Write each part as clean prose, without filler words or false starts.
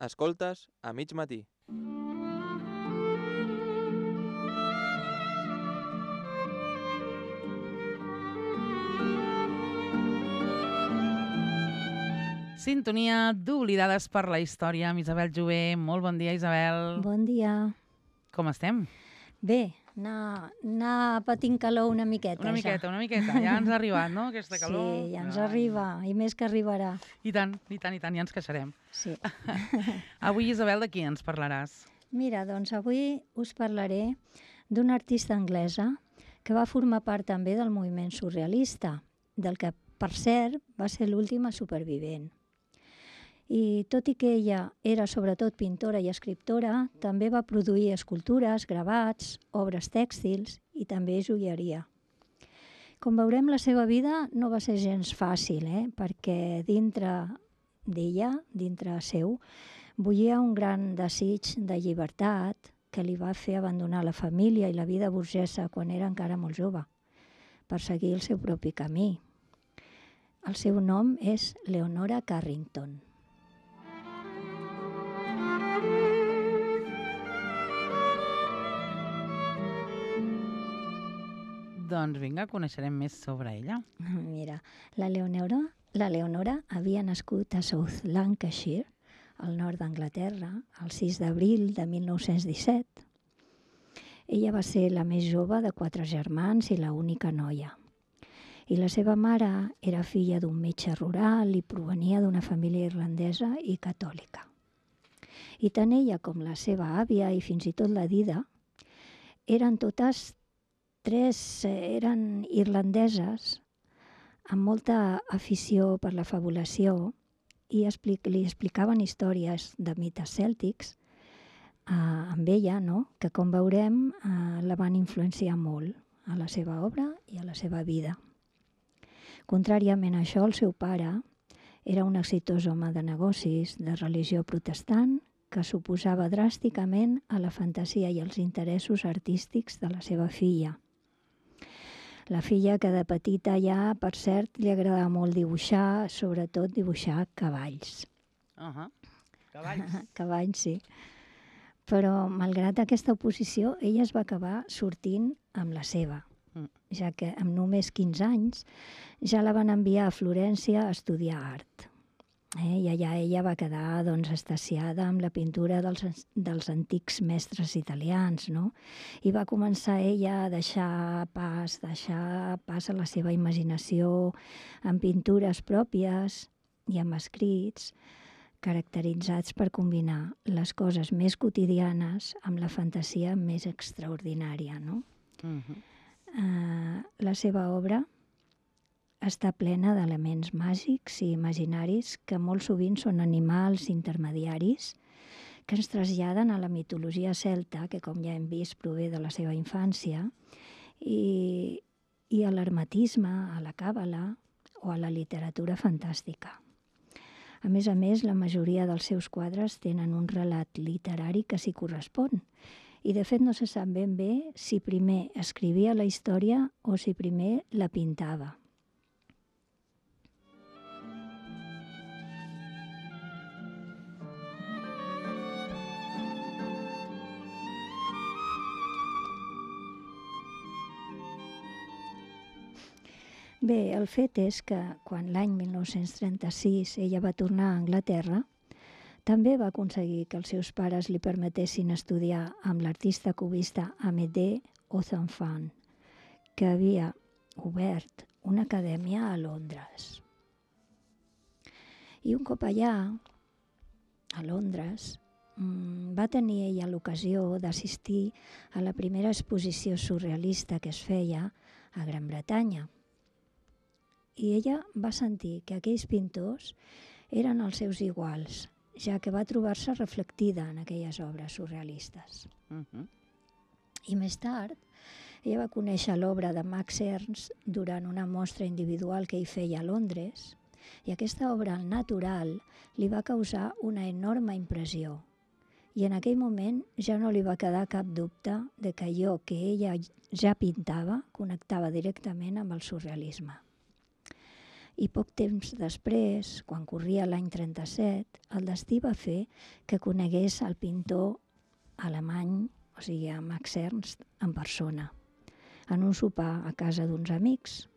Escoltes a mig matí. Sintonia d'Oblidades per la Història amb Isabel Jové. Molt bon dia, Isabel. Bon dia. Com estem? Bé, anar patint calor una miqueta. Una miqueta. Ja ens ha arribat, no?, aquesta calor. Sí, ja ens arriba, i més que arribarà. I tant, ja ens queixarem. Sí. Avui, Isabel, de qui ens parlaràs? Mira, doncs avui us parlaré d'una artista anglesa que va formar part també del moviment surrealista, del que, per cert, va ser l'última supervivent. I tot i que ella era sobretot pintora i escriptora, també va produir escultures, gravats, obres tèxtils i també joieria. Com veurem, la seva vida no va ser gens fàcil, perquè dintre d'ella, dintre seu, bullia un gran desig de llibertat que li va fer abandonar la família i la vida burgesa quan era encara molt jove, per seguir el seu propi camí. El seu nom és Leonora Carrington. Doncs vinga, coneixerem més sobre ella. Mira, la Leonora havia nascut a South Lancashire, al nord d'Anglaterra, el 6 d'abril de 1917. Ella va ser la més jove de 4 germans i l'única noia. I la seva mare era filla d'un metge rural i provenia d'una família irlandesa i catòlica. I tant ella com la seva àvia i fins i tot la Dida eren totes eren irlandeses amb molta afició per la fabulació i li explicaven històries de mites cèltics amb ella, no? Que com veurem la van influenciar molt a la seva obra i a la seva vida. Contràriament a això, el seu pare era un exitós home de negocis de religió protestant que s'oposava dràsticament a la fantasia i als interessos artístics de la seva filla. La filla que de petita ja, per cert, li agradava molt dibuixar, sobretot dibuixar cavalls. Cavalls. Cavalls, sí. Però, malgrat aquesta oposició, ella es va acabar sortint amb la seva, ja que amb només 15 anys ja la van enviar a Florència a estudiar art. I allà ella va quedar extasiada amb la pintura dels antics mestres italians, no? I va començar ella a deixar pas a la seva imaginació amb pintures pròpies i amb escrits caracteritzats per combinar les coses més quotidianes amb la fantasia més extraordinària, no? La seva obra està plena d'elements màgics i imaginaris que molt sovint són animals intermediaris que ens traslladen a la mitologia celta, que com ja hem vist prové de la seva infància, i a l'hermetisme, a la càbala o a la literatura fantàstica. A més, la majoria dels seus quadres tenen un relat literari que s'hi correspon, i de fet no se sap ben bé si primer escrivia la història o si primer la pintava. Bé, el fet és que quan l'any 1936 ella va tornar a Anglaterra, també va aconseguir que els seus pares li permetessin estudiar amb l'artista cubista Amédée Ozenfant, que havia obert una acadèmia a Londres. I un cop allà, a Londres, va tenir ella l'ocasió d'assistir a la primera exposició surrealista que es feia a Gran Bretanya. I ella va sentir que aquells pintors eren els seus iguals, ja que va trobar-se reflectida en aquelles obres surrealistes. I més tard, ella va conèixer l'obra de Max Ernst durant una mostra individual que hi feia a Londres, i aquesta obra al natural li va causar una enorme impressió. I en aquell moment ja no li va quedar cap dubte de que allò que ella ja pintava connectava directament amb el surrealisme. I poc temps després, quan corria l'any 37, el destí va fer que conegués el pintor alemany, o sigui, a Max Ernst, en persona, en un sopar a casa d'uns amics.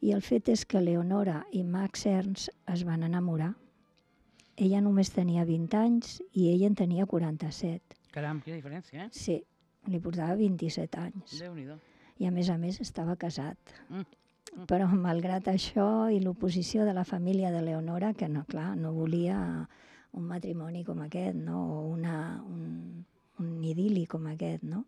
I el fet és que Leonora i Max Ernst es van enamorar. Ella només tenia 20 anys i ell en tenia 47. Caram, quina diferència, eh? Sí, li portava 27 anys. Déu-n'hi-do. I a més estava casat. Però malgrat això i l'oposició de la família de Leonora, que no, clar, no volia un matrimoni com aquest, no? O un idili com aquest, no?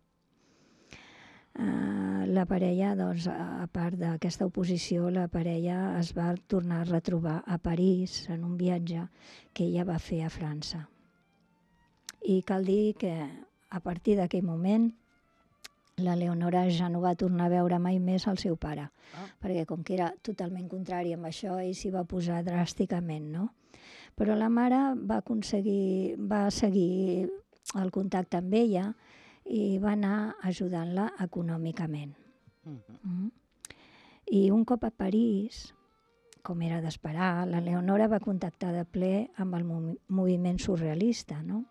La parella, doncs, a part d'aquesta oposició, la parella es va tornar a retrobar a París en un viatge que ella va fer a França. I cal dir que a partir d'aquell moment la Leonora ja no va tornar a veure mai més el seu pare, perquè com que era totalment contrari amb això, ell s'hi va posar dràsticament, no? Però la mare va seguir el contacte amb ella i va anar ajudant-la econòmicament. I un cop a París, com era d'esperar, la Leonora va contactar de ple amb el moviment surrealista, no?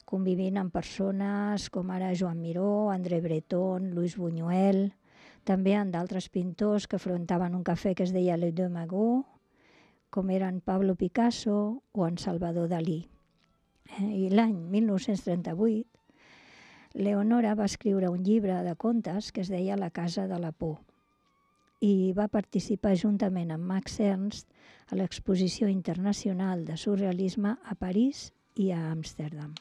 Convivint amb persones com ara Joan Miró, André Breton, Louis Buñuel, també amb d'altres pintors que afrontaven un cafè que es deia Les Deux Magots, com eren Pablo Picasso o en Salvador Dalí. I l'any 1938, Leonora va escriure un llibre de contes que es deia La casa de la por i va participar juntament amb Max Ernst a l'exposició internacional de surrealisme a París i a Amsterdam.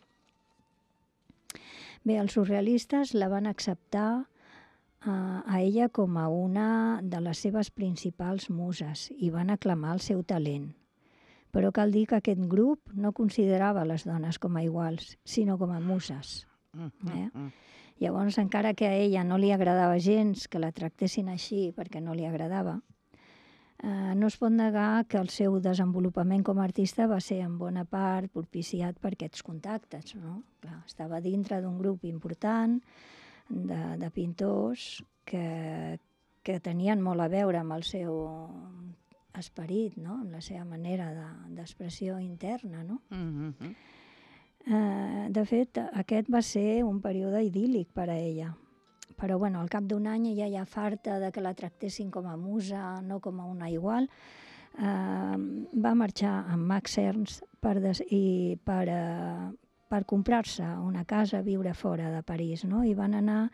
Bé, els surrealistes la van acceptar a ella com a una de les seves principals muses i van aclamar el seu talent. Però cal dir que aquest grup no considerava les dones com a iguals, sinó com a muses. Llavors, encara que a ella no li agradava gens que la tractessin així perquè no li agradava, no es pot negar que el seu desenvolupament com a artista va ser en bona part propiciat per aquests contactes, no? Clar, estava dintre d'un grup important de pintors que tenien molt a veure amb el seu esperit, no? Amb la seva manera d'expressió interna, no? De fet, aquest va ser un període idíl·lic per a ella. Però bueno, al cap d'un any ella ja farta de que la tractessin com a musa, no com a una igual, va marxar amb Max Ernst per comprar-se una casa, viure fora de París, no? I van anar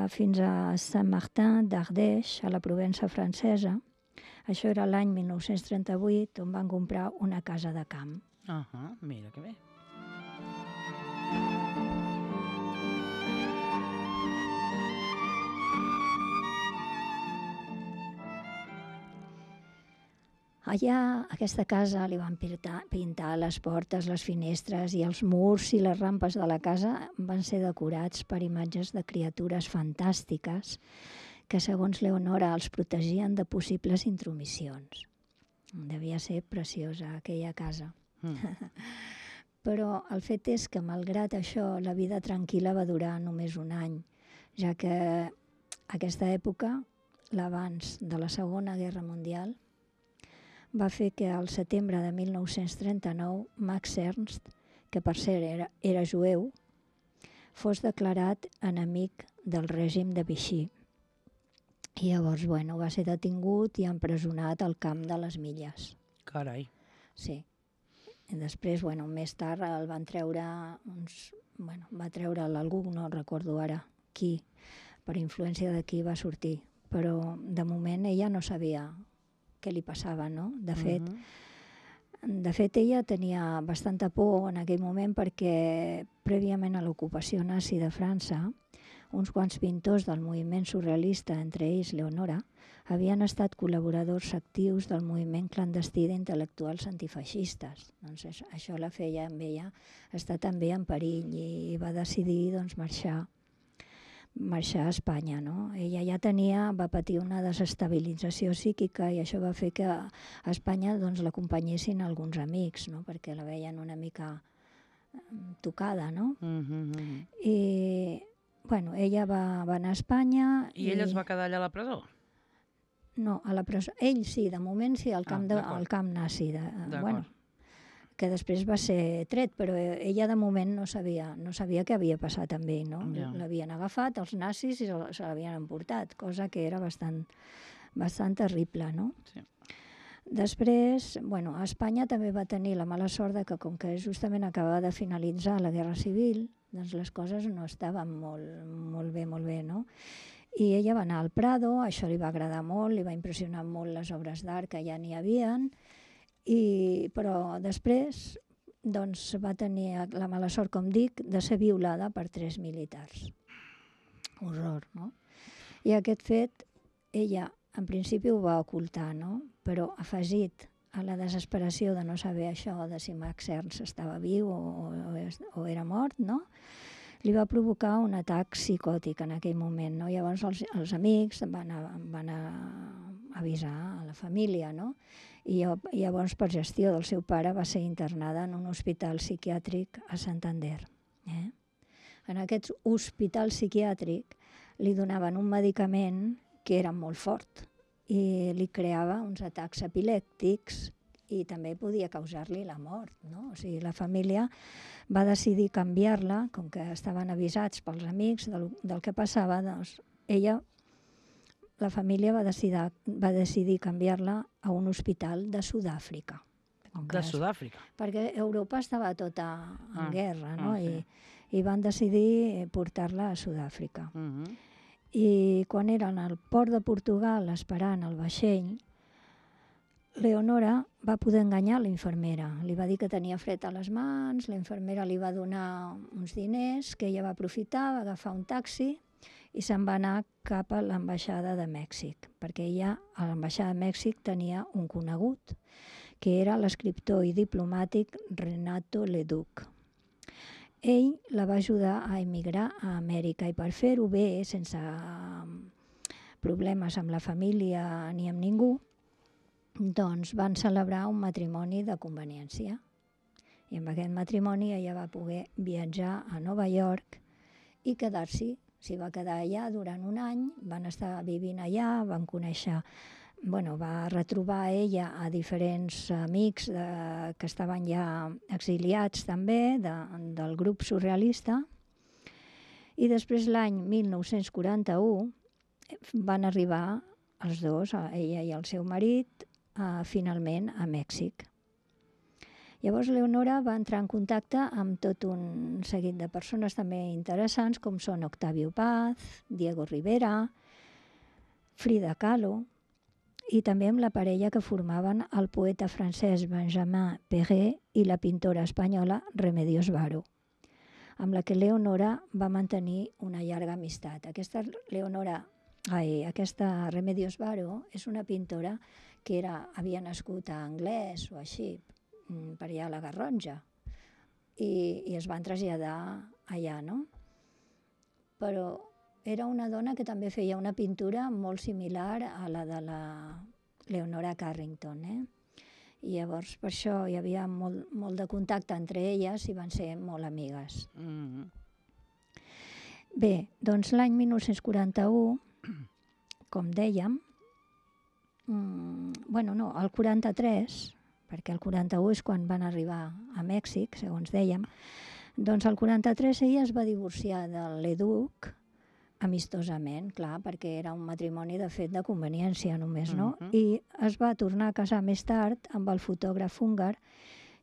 fins a Saint-Martin d'Ardèche, a la Provença francesa. Això era l'any 1938, on van comprar una casa de camp. Mira que bé. Allà, a aquesta casa, li van pintar les portes, les finestres i els murs i les rampes de la casa van ser decorats per imatges de criatures fantàstiques que, segons Leonora, els protegien de possibles intromissions. Devia ser preciosa, aquella casa. Però el fet és que, malgrat això, la vida tranquil·la va durar només un any, ja que aquesta època, l'abans de la Segona Guerra Mundial, va fer que al setembre de 1939 Max Ernst, que per cert era jueu, fos declarat enemic del règim de Vichy. I llavors, bueno, va ser detingut i empresonat al camp de les Milles. Carai. Sí. I després, bueno, més tard el van treure va treure'l algú, no recordo ara qui, per influència de qui va sortir. Però de moment ella no sabia què li passava, no? De fet, ella tenia bastanta por en aquell moment perquè prèviament a l'ocupació nazi de França, uns quants pintors del moviment surrealista, entre ells Leonora, havien estat col·laboradors actius del moviment clandestí d'intel·lectuals antifeixistes. Doncs això la feia amb ella estar també en perill i va decidir marxar a Espanya, no? Ella ja va patir una desestabilització psíquica i això va fer que a Espanya l'acompanyessin alguns amics, no? Perquè la veien una mica tocada, no? I, bueno, ella va anar a Espanya... I ella es va quedar allà a la presó? No, a la presó. Ell sí, de moment sí, al camp nazi. Bueno, que després va ser tret, però ella de moment no sabia què havia passat amb ell, no? L'havien agafat els nazis i se l'havien emportat, cosa que era bastant terrible, no? Sí. Després, a Espanya també va tenir la mala sort que com que justament acabava de finalitzar la Guerra Civil, doncs les coses no estaven molt bé, no? I ella va anar al Prado, això li va agradar molt, li va impressionar molt les obres d'art que ja n'hi havien, però després va tenir la mala sort, com dic, de ser violada per 3 militars. Horror, no? I aquest fet, ella en principi ho va ocultar, no? Però afegit a la desesperació de no saber això, de si Max Ernst estava viu o era mort, no? Li va provocar un atac psicòtic en aquell moment, no? Llavors els amics van avisar a la família, no? I llavors, per gestió del seu pare, va ser internada en un hospital psiquiàtric a Santander. En aquest hospital psiquiàtric li donaven un medicament que era molt fort i li creava uns atacs epilèptics i també podia causar-li la mort, no? O sigui, la família va decidir canviar-la, com que estaven avisats pels amics del que passava, doncs la família va decidir canviar-la a un hospital de Sud-àfrica. De Sud-àfrica? Perquè Europa estava tota en guerra, no? I van decidir portar-la a Sud-àfrica. I quan eren al port de Portugal esperant el vaixell, Leonora va poder enganyar la infermera. Li va dir que tenia fred a les mans, la infermera li va donar uns diners que ella va aprofitar, va agafar un taxi i se'n va anar cap a l'ambaixada de Mèxic, perquè ella a l'ambaixada de Mèxic tenia un conegut, que era l'escriptor i diplomàtic Renato Leduc. Ell la va ajudar a emigrar a Amèrica i per fer-ho bé, sense problemes amb la família ni amb ningú, doncs van celebrar un matrimoni de conveniència. I amb aquest matrimoni ella va poder viatjar a Nova York i quedar-s'hi. S'hi va quedar allà durant un any, van estar vivint allà, van conèixer, va retrobar ella a diferents amics que estaven ja exiliats també, del grup surrealista. I després l'any 1941 van arribar els dos, ella i el seu marit, finalment a Mèxic. Llavors Leonora va entrar en contacte amb tot un seguit de persones també interessants, com són Octavio Paz, Diego Rivera, Frida Kahlo, i també amb la parella que formaven el poeta francès Benjamin Perret i la pintora espanyola Remedios Varo, amb la que Leonora va mantenir una llarga amistat. Aquesta Remedios Varo és una pintora que havia nascut a Anglès o així, per allà a la Garrotxa, i es van traslladar allà, no? Però era una dona que també feia una pintura molt similar a la de la Leonora Carrington, I llavors per això hi havia molt de contacte entre elles i van ser molt amigues. Bé, doncs l'any 1941, com dèiem, el 43, perquè el 41 és quan van arribar a Mèxic, segons dèiem, doncs el 43 ella es va divorciar de Leduc amistosament, clar, perquè era un matrimoni de fet de conveniència només, no? I es va tornar a casar més tard amb el fotògraf húngar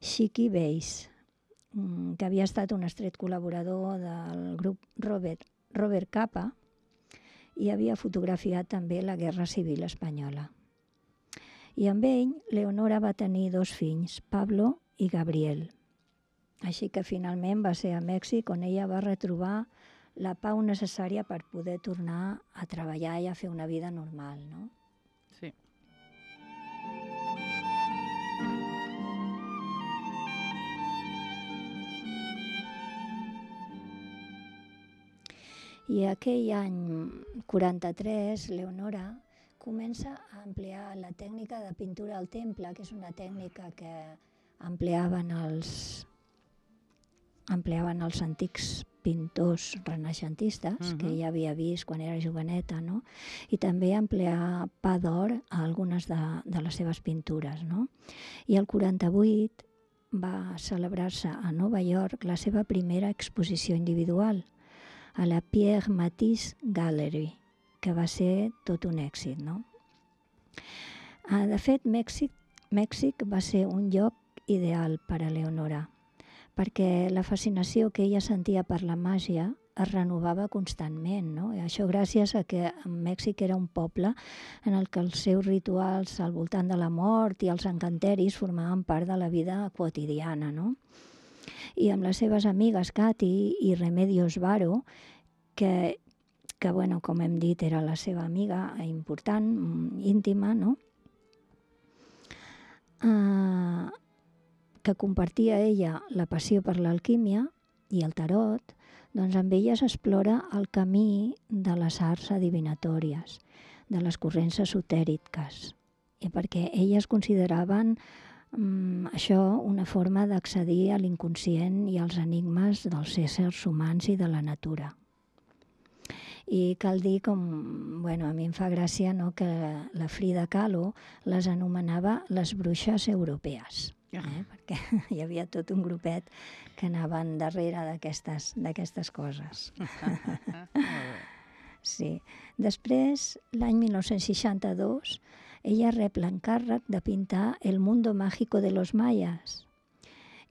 Chiki Weiss, que havia estat un estret col·laborador del grup Robert Capa i havia fotografiat també la Guerra Civil Espanyola. I amb ell, Leonora va tenir 2 fills, Pablo i Gabriel. Així que finalment va ser a Mèxic on ella va retrobar la pau necessària per poder tornar a treballar i a fer una vida normal, no? Sí. I aquell any 43, Leonora comença a emplear la tècnica de pintura al temple, que és una tècnica que empleaven els empleaven els antics pintors renaixentistes que ella havia vist quan era joveneta, no? I també emplear pa d'or a algunes de les seves pintures, no? I el 48 va celebrar-se a Nova York la seva primera exposició individual, a la Pierre Matisse Gallery, que va ser tot un èxit, no? De fet, Mèxic va ser un lloc ideal per a Leonora, perquè la fascinació que ella sentia per la màgia es renovava constantment, no? I això gràcies a que Mèxic era un poble en el que els seus rituals al voltant de la mort i els encanteris formaven part de la vida quotidiana, no? I amb les seves amigues Katy i Remedios Varo, que bueno, com hem dit, era la seva amiga important, íntima, no? Que compartia ella la passió per l'alquímia i el tarot, doncs amb elles explora el camí de les arts adivinatòries, de les corrents esotèriques, i perquè elles consideraven això una forma d'accedir a l'inconscient i als enigmes dels éssers humans i de la natura. I cal dir, bueno, a mi em fa gràcia, no, que la Frida Kahlo les anomenava les bruixes europees, perquè hi havia tot un grupet que anaven darrere d'aquestes coses. Sí. Després, l'any 1962, ella rep l'encàrrec de pintar El mundo mágico de los mayas,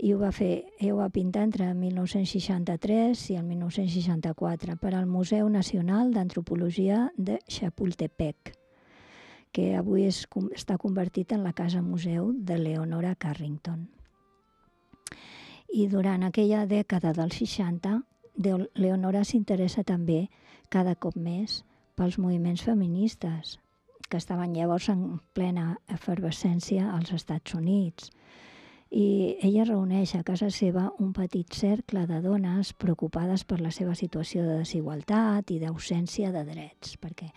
i ho va pintar entre el 1963 i el 1964 per al Museu Nacional d'Antropologia de Chapultepec, que avui està convertit en la casa museu de Leonora Carrington. I durant aquella dècada dels 60, Leonora s'interessa també cada cop més pels moviments feministes, que estaven llavors en plena efervescència als Estats Units. I ella reuneix a casa seva un petit cercle de dones preocupades per la seva situació de desigualtat i d'ausència de drets, perquè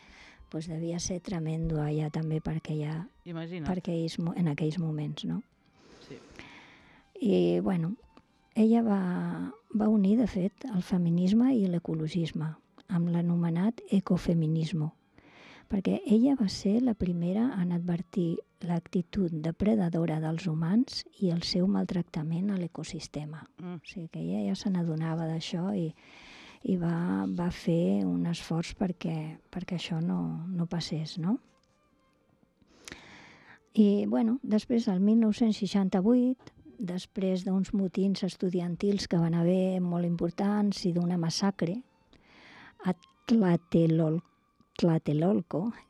devia ser tremendo allà també en aquells moments, no? Sí. I, bueno, ella va unir, de fet, el feminisme i l'ecologisme amb l'anomenat ecofeminisme, perquè ella va ser la primera en advertir l'actitud depredadora dels humans i el seu maltractament a l'ecosistema. O sigui que ella ja se n'adonava d'això i va fer un esforç perquè això no passés, no? I, bueno, després, el 1968, després d'uns motins estudiantils que van haver molt importants i d'una massacre a Tlatelolco,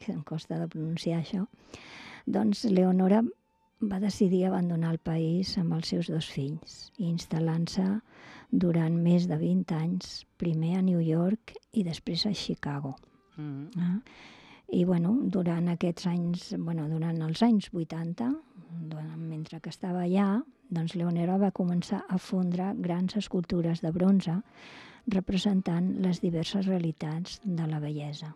que em costa de pronunciar això, doncs Leonora va decidir abandonar el país amb els seus 2 fills i instal·lant-se durant més de 20 anys, primer a New York i després a Chicago. I bueno, durant aquests anys, durant els anys 80, mentre que estava allà, doncs Leonora va començar a fondre grans escultures de bronze representant les diverses realitats de la bellesa.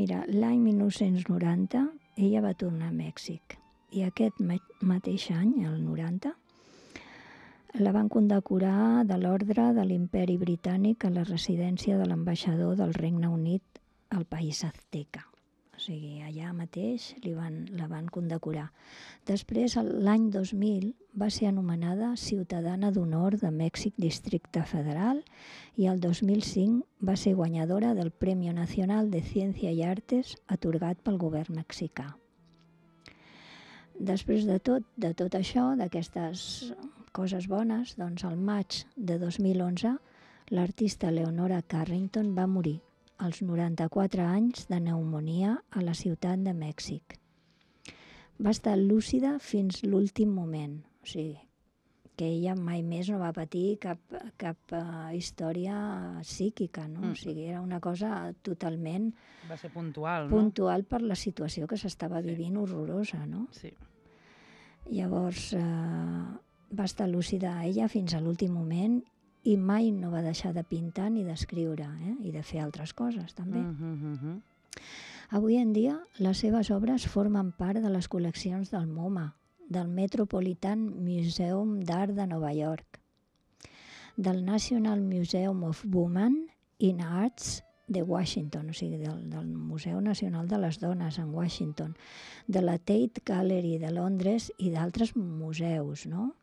Mira, l'any 1990 ella va tornar a Mèxic i aquest mateix any, el 90, la van condecorar de l'Ordre de l'Imperi Britànic a la residència de l'ambaixador del Regne Unit al país azteca. O sigui, allà mateix la van condecorar. Després, l'any 2000, va ser anomenada Ciutadana d'Honor de Mèxic Districte Federal i el 2005 va ser guanyadora del Premio Nacional de Ciencia y Artes atorgat pel govern mexicà. Després de tot això, d'aquestes coses bones, doncs al maig de 2011 l'artista Leonora Carrington va morir als 94 anys de pneumònia a la ciutat de Mèxic. Va estar lúcida fins l'últim moment, o sigui, que ella mai més no va patir cap història psíquica, no? O sigui, era una cosa totalment... Va ser puntual, no? Puntual per la situació que s'estava vivint horrorosa, no? Sí. Llavors, va estar lúcida ella fins a l'últim moment i mai no va deixar de pintar ni d'escriure, i de fer altres coses també. Avui en dia, les seves obres formen part de les col·leccions del MoMA, del Metropolitan Museum d'Art de Nova York, del National Museum of Women in Arts de Washington, o sigui, del Museu Nacional de les Dones en Washington, de la Tate Gallery de Londres i d'altres museus, no?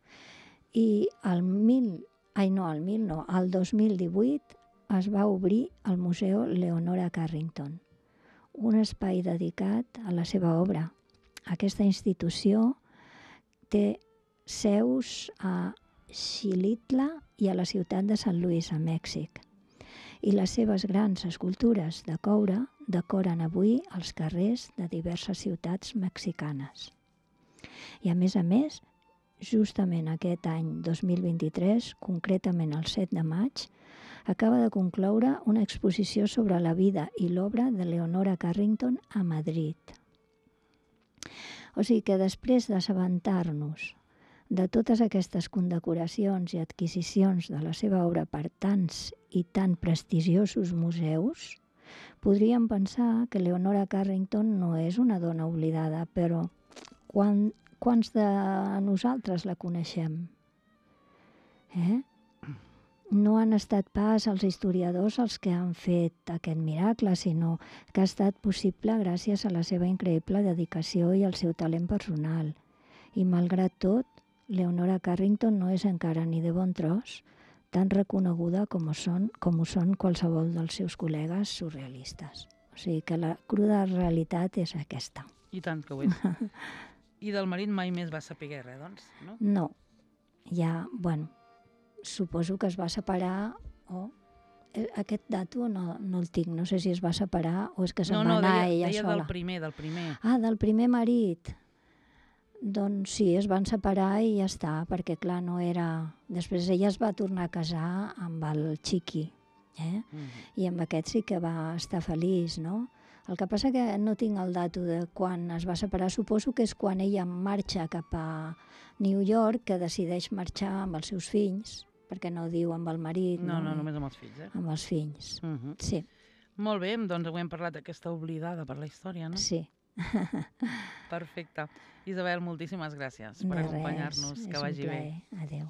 I el 2018 es va obrir el Museu Leonora Carrington, un espai dedicat a la seva obra. Aquesta institució té seus a Xilitla i a la ciutat de Sant Luis, a Mèxic. I les seves grans escultures de coure decoren avui els carrers de diverses ciutats mexicanes. I a més, justament aquest any 2023, concretament el 7 de maig, acaba de concloure una exposició sobre la vida i l'obra de Leonora Carrington a Madrid. O sigui que després d'assabentar-nos de totes aquestes condecoracions i adquisicions de la seva obra per tants i tan prestigiosos museus, podríem pensar que Leonora Carrington no és una dona oblidada, però quants de nosaltres la coneixem? No han estat pas els historiadors els que han fet aquest miracle, sinó que ha estat possible gràcies a la seva increïble dedicació i al seu talent personal. I malgrat tot, Leonora Carrington no és encara ni de bon tros tan reconeguda com ho són qualsevol dels seus col·legues surrealistes. O sigui que la cruda realitat és aquesta. I tant que ho és. I del marit mai més va saber res, doncs, no? No. Ja, suposo que es va separar aquest dato no el tinc, no sé si es va separar o és que se'n va anar ella sola. No, deia del primer. Ah, del primer marit. Doncs sí, es van separar i ja està, perquè clar, no era... Després ella es va tornar a casar amb el Chiqui, i amb aquest sí que va estar feliç, no? El que passa que no tinc el dato de quan es va separar, suposo que és quan ella marxa cap a New York, que decideix marxar amb els seus fills, perquè no diu amb el marit. No, només amb els fills, Amb els fills, sí. Molt bé, doncs avui hem parlat d'aquesta oblidada per la història, no? Sí. Perfecte. Isabel, moltíssimes gràcies per acompanyar-nos. Que vagi bé. Adéu.